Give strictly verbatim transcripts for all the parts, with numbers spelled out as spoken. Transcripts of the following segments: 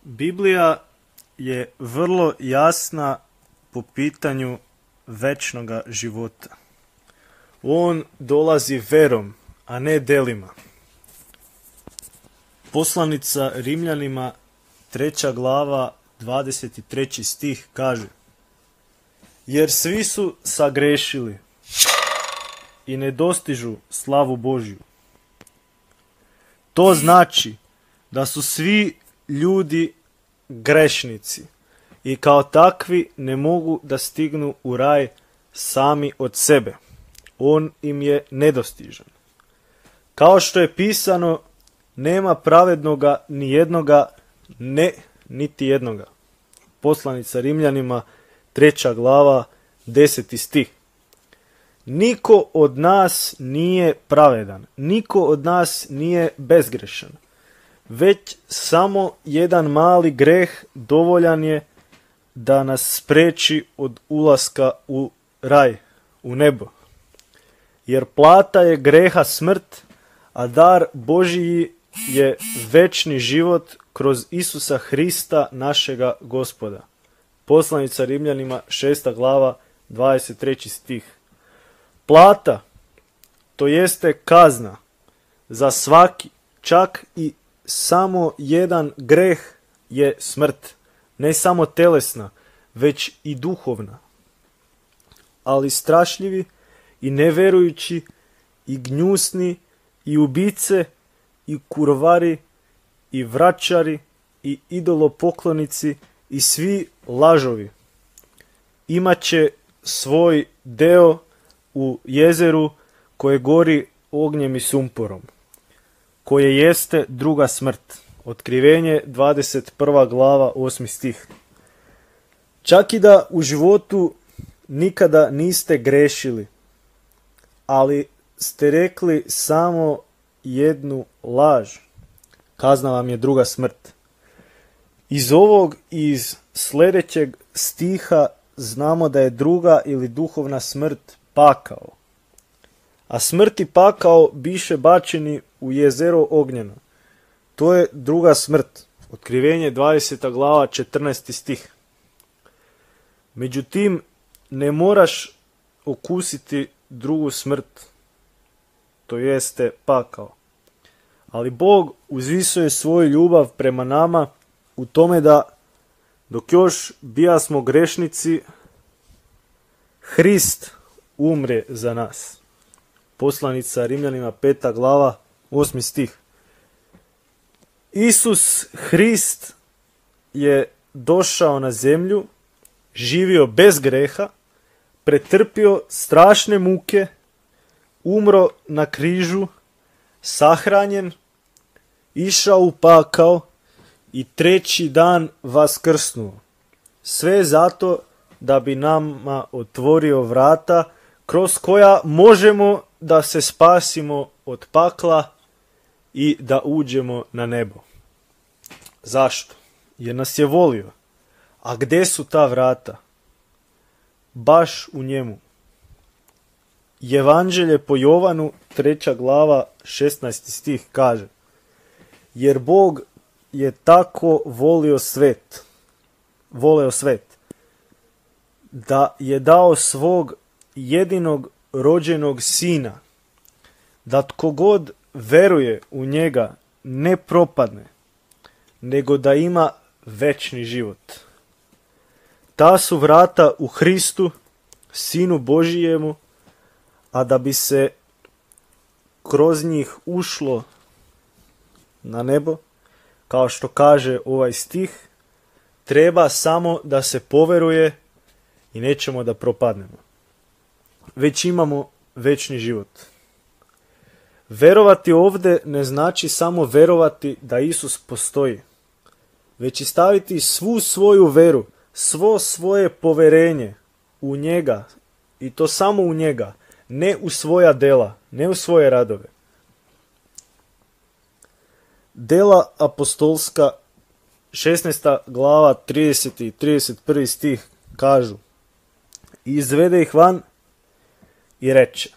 Biblija je vrlo jasna po pitanju večnoga života. On dolazi verom, a ne delima. Poslanica Rimljanima, treća glava, dvadeset treći stih kaže: jer svi su sagrešili i ne dostižu slavu Božju. To znači da su svi ljudi grešnici i kao takvi ne mogu da stignu u raj sami od sebe. On im je nedostižan. Kao što je pisano, nema pravednoga ni jednoga, ne niti jednoga. Poslanica Rimljanima, treća glava, deseti stih. Niko od nas nije pravedan, niko od nas nije bezgrešan, već samo jedan mali greh dovoljan je da nas spreči od ulaska u raj, u nebo. Jer plata je greha smrt, a dar Božiji je večni život kroz Isusa Hrista našega Gospoda. Poslanica Rimljanima, šesta glava, dvadeset treći stih. Plata, to jeste kazna za svaki, čak i samo jedan greh, je smrt. Ne samo telesna, već i duhovna. Ali strašljivi i neverujući i gnjusni i ubice i kurvari i vračari i idolopoklonici i svi lažovi imaće svoj deo u jezeru koje gori ognjem i sumporom, koje jeste druga smrt. Otkrivenje, dvadeset prva glava, osmi stih. Čak i da u životu nikada niste grešili, ali ste rekli samo jednu laž, kazna vam je druga smrt. Iz ovog i iz sljedećeg stiha znamo da je druga ili duhovna smrt pakao. A smrt i pakao biše bačeni u jezero ognjeno. To je druga smrt. Otkrivenje, dvadeseta glava, četrnaesti stih. Međutim, ne moraš okusiti drugu smrt, to jeste pakao. Ali Bog uzvisuje svoju ljubav prema nama u tome da dok još bijasmo grešnici, Hrist umre za nas. Poslanica Rimljanima, peta glava, osmi stih. Isus Hrist je došao na zemlju, živio bez greha, pretrpio strašne muke, umro na križu, sahranjen, išao u pakao i treći dan vaskrsnuo. Sve zato da bi nama otvorio vrata kroz koja možemo da se spasimo od pakla i da uđemo na nebo. Zašto? Jer nas je volio. A gdje su ta vrata? Baš u njemu. Evanđelje po Jovanu, treća glava, šesnaesti stih kaže: jer Bog je tako volio svet, voleo svet, da je dao svog jedinog rođenog sina, da tko god veruje u njega ne propadne, nego da ima večni život. Ta su vrata u Hristu, Sinu Božijemu, a da bi se kroz njih ušlo na nebo, kao što kaže ovaj stih, treba samo da se poveruje i nećemo da propadnemo. Već imamo večni život. Verovati ovdje ne znači samo verovati da Isus postoji, već i staviti svu svoju veru, svo svoje poverenje u njega, i to samo u njega, ne u svoja dela, ne u svoje radove. Dela apostolska, šesnaesta glava, trideseti i trideset prvi stih kažu: i izvede ih van i reče: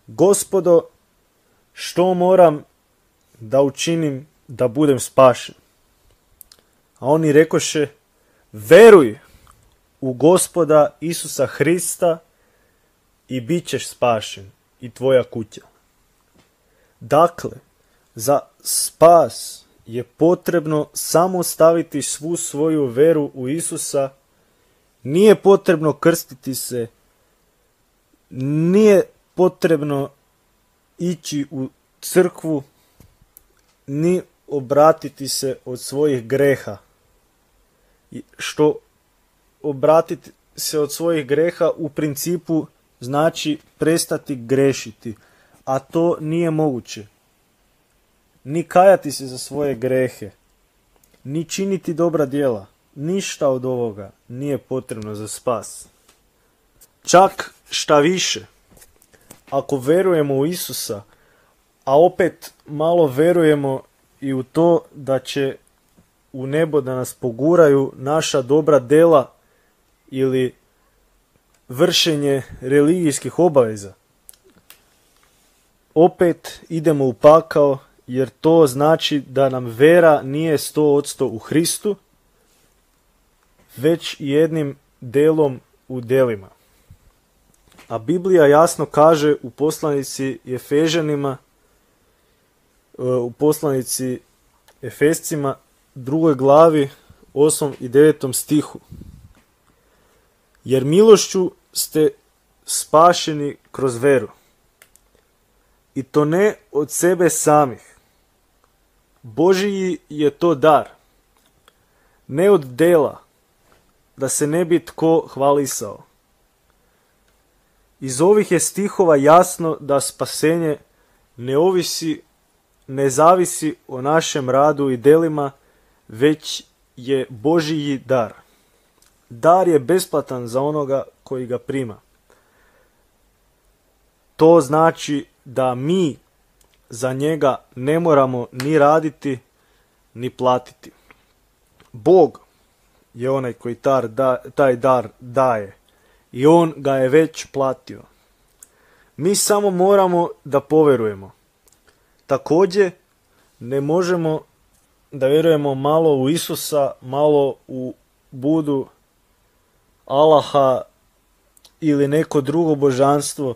Gospodo, što moram da učinim da budem spašen? A oni rekoše, veruj u Gospoda Isusa Hrista i bit ćeš spašen i tvoja kuća. Dakle, za spas je potrebno samo staviti svu svoju veru u Isusa, nije potrebno krstiti se, nije potrebno ići u crkvu, ni obratiti se od svojih greha. Što obratiti se od svojih greha u principu znači prestati grešiti, a to nije moguće. Ni kajati se za svoje grehe, ni činiti dobra djela. Ništa od ovoga nije potrebno za spas. Čak šta više, ako verujemo u Isusa, a opet malo verujemo i u to da će u nebo da nas poguraju naša dobra djela ili vršenje religijskih obaveza, opet idemo u pakao, jer to znači da nam vera nije sto posto u Hristu, već jednim delom u delima. A Biblija jasno kaže u poslanici Efežanima, u poslanici Efescima, drugoj glavi, osmom i devetom stihu. Jer milošću ste spašeni kroz veru. I to ne od sebe samih. Božiji je to dar. Ne od dela, da se ne bi tko hvalisao. Iz ovih je stihova jasno da spasenje ne ovisi, ne zavisi o našem radu i delima, već je Božiji dar. Dar je besplatan za onoga koji ga prima. To znači da mi za njega ne moramo ni raditi, ni platiti. Bog je onaj koji tar, da, taj dar daje i on ga je već platio. Mi samo moramo da poverujemo. Također ne možemo da vjerujemo malo u Isusa, malo u Budu, Allaha ili neko drugo božanstvo,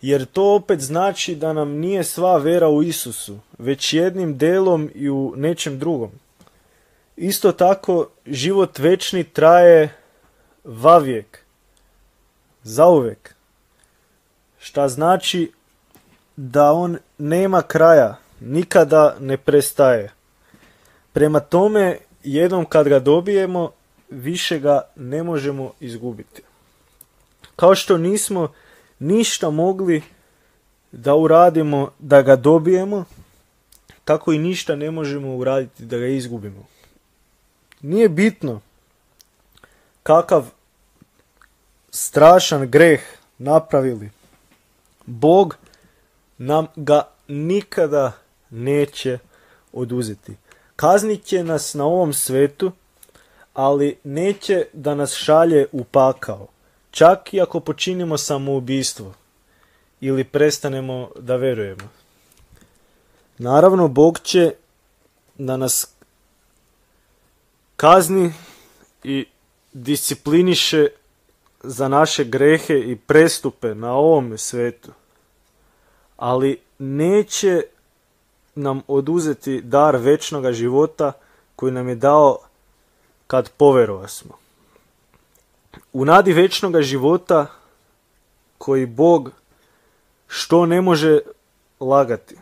jer to opet znači da nam nije sva vera u Isusu, već jednim delom i u nečem drugom. Isto tako, život večni traje vavijek, zauvek, šta znači da on nema kraja, nikada ne prestaje. Prema tome, jednom kad ga dobijemo, više ga ne možemo izgubiti. Kao što nismo ništa mogli da uradimo da ga dobijemo, tako i ništa ne možemo uraditi da ga izgubimo. Nije bitno kakav strašan greh napravili. Bog nam ga nikada neće oduzeti. Kaznit će nas na ovom svetu, ali neće da nas šalje u pakao. Čak i ako počinimo samoubistvo ili prestanemo da verujemo. Naravno, Bog će da nas kazni i discipliniše za naše grehe i prestupe na ovom svetu. Ali neće nam oduzeti dar večnoga života koji nam je dao kad poverovasmo. U nadi večnoga života koji Bog, što ne može lagati,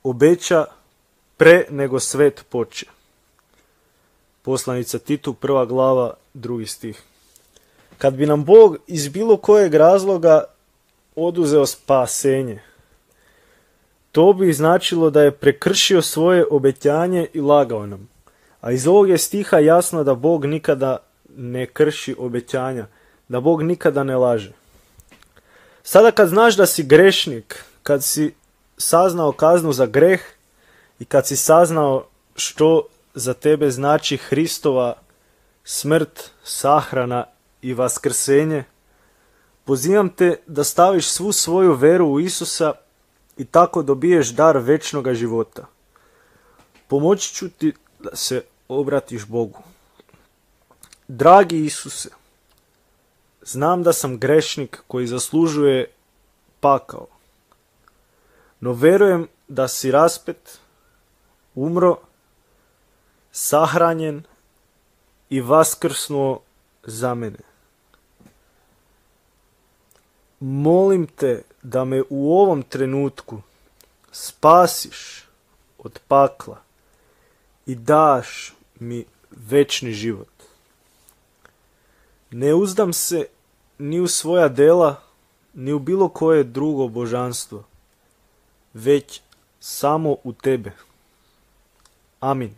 obeća pre nego svet poče. Poslanica Titu, prva glava, drugi stih. Kad bi nam Bog iz bilo kojeg razloga oduzeo spasenje, to bi značilo da je prekršio svoje obećanje i lagao nam. A iz ovog je stiha jasno da Bog nikada ne krši obećanja, da Bog nikada ne laže. Sada kad znaš da si grešnik, kad si saznao kaznu za greh i kad si saznao što za tebe znači Hristova smrt, sahrana i vaskrsenje, pozivam te da staviš svu svoju veru u Isusa i tako dobiješ dar večnoga života. Pomoći ću ti da se obratiš Bogu. Dragi Isuse, znam da sam grešnik koji zaslužuje pakao, no verujem da si raspet, umro, sahranjen i vaskrsnuo za mene. Molim te da me u ovom trenutku spasiš od pakla i daš mi večni život. Ne uzdam se ni u svoja dela, ni u bilo koje drugo božanstvo, već samo u tebe. Amin.